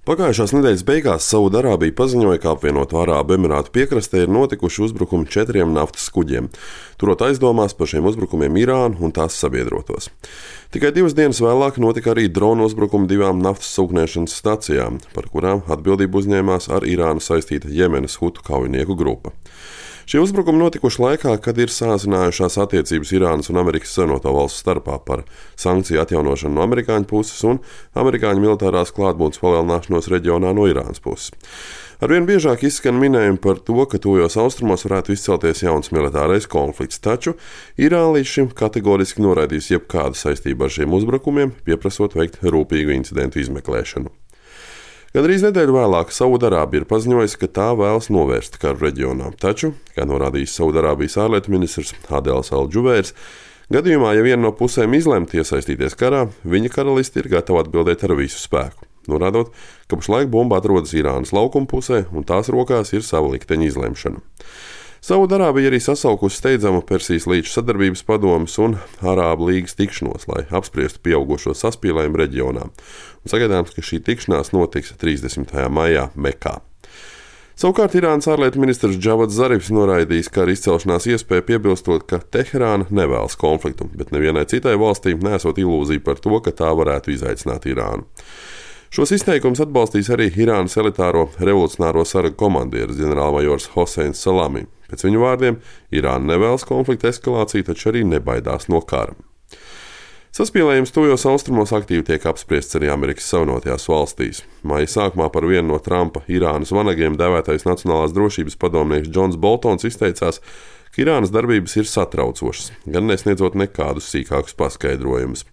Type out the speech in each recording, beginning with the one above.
Pagājušās nedēļas beigās Saūdarābija paziņoja, ka apvienoto Arābu Emirātu piekrastē ir notikuši uzbrukumi 4 naftas kuģiem, turot aizdomās par šiem uzbrukumiem Irānu un tās sabiedrotos. Tikai 2 dienas vēlāk notika arī drona uzbrukumi 2 naftas sūkņēšanas stacijām, par kurām atbildību uzņēmās ar Irānu saistīta Jemenas hutu kaujinieku grupa. Šie uzbrukumi notikuši laikā, kad ir sāsinājušās attiecības Irānas un Amerikas Savienoto Valstu starpā par sankciju atjaunošanu no amerikāņu puses un amerikāņu militārās klātbūtnes palielināšanos reģionā no Irānas puses. Arvien biežāk izskan minējumi par to, ka tuvajos austrumos varētu izcelties jauns militārais konflikts, taču Irāna līdz šim kategoriski noraidījusi jebkādu saistību ar šiem uzbrukumiem, pieprasot veikt rūpīgu incidentu izmeklēšanu. Gandrīz nedēļu vēlāk Saūdarābija ir paziņojusi, ka tā vēlas novērst karu reģionā, taču, kā norādījis Saūdarābijas ārlietu ministrs Adels Al-Džubeirs, gadījumā, ja viena no pusēm izlemtu iesaistīties karā, viņa karaliste ir gatava atbildēt ar visu spēku, norādot, ka pašlaik bumba atrodas Irānas laukuma pusē un tās rokās ir sava likteņa izlemšana. Saūdarābija arī sasaukusi steidzamu Persijas līča sadarbības padomes un Arābu līgas tikšanos, lai apspriestu pieaugušo saspīlējumu reģionā. Un sagaidāms, ka šī tikšanās notiks 30. maijā Mekā. Savukārt Irānas ārlietu ministrs Džavads Zarifs noraidījis kara izcelšanās iespēju, piebilstot, ka Teherāna nevēlas konfliktu, bet nevienai citai valstī nesot ilūzija par to, ka tā varētu izaicināt Irānu. Šos izteikumus atbalstīs arī Irānas elitāro revolucionāro saragu komandieris ģenerālmajors Hoseins Salami. Pēc viņu vārdiem, Irāna nevēlas konflikta eskalāciju, taču arī nebaidās no kara. Saspīlējums tuvajos austrumos aktīvi tiek apspriests arī Amerikas Savienotajās valstīs. Maija sākumā par vienu no Trumpa Irānas vanagiem dēvētais Nacionālās drošības padomnieks Džons Boltons izteicās, ka Irānas darbības ir satraucošas, gan nesniedzot nekādus sīkākus paskaidrojumus.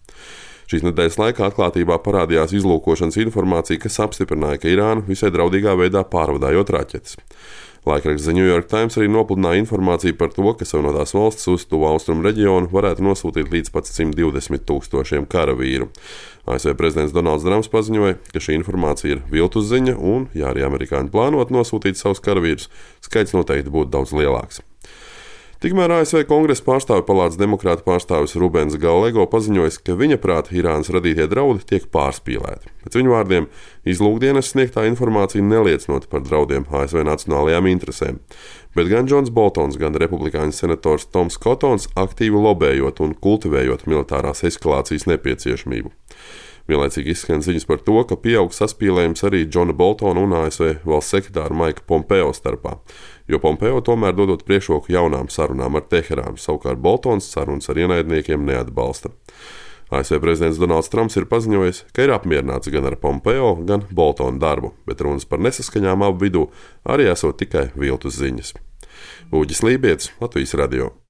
Šīs nedēļas laikā atklātībā parādījās izlūkošanas informācija, kas apstiprināja, ka Irāna visai draudīgā veidā pārvadājot raķetes. Laikraksts The New York Times arī nopludināja informāciju par to, ka Savienotās valstis uz tuvu austrumu reģionu varētu nosūtīt līdz pat 120 000 karavīru. ASV prezidents Donalds Trumps paziņoja, ka šī informācija ir viltus ziņa un, ja arī amerikāņi plānot nosūtīt savus karavīrus, skaits noteikti būtu daudz lielāks. Tikmēr ASV Kongresa pārstāvju palātas demokrātu pārstāvis Rubens Gallego paziņojis, ka viņa prāta Irānas radītie draudi tiek pārspīlēti. Pēc viņu vārdiem, izlūkdienas sniegtā informācija neliecinot par draudiem ASV nacionālajām interesēm, bet gan Džons Boltons, gan republikāņu senators Toms Kotons aktīvi lobējot un kultivējot militārās eskalācijas nepieciešamību. Vienlaicīgi izskan ziņas par to, ka pieaug saspīlējums arī Džona Boltona un ASV valsts sekretāra Maika Pompeo starpā, jo Pompeo tomēr dodot priekšroku jaunām sarunām ar Teherānu, savukārt Boltons sarunas ar ienaidniekiem neatbalsta. ASV prezidents Donalds Trumps ir paziņojis, ka ir apmierināts gan ar Pompeo, gan Boltona darbu, bet runas par nesaskaņām abu vidū arī esot tikai viltus ziņas. Uģis Lībietis, Latvijas radio.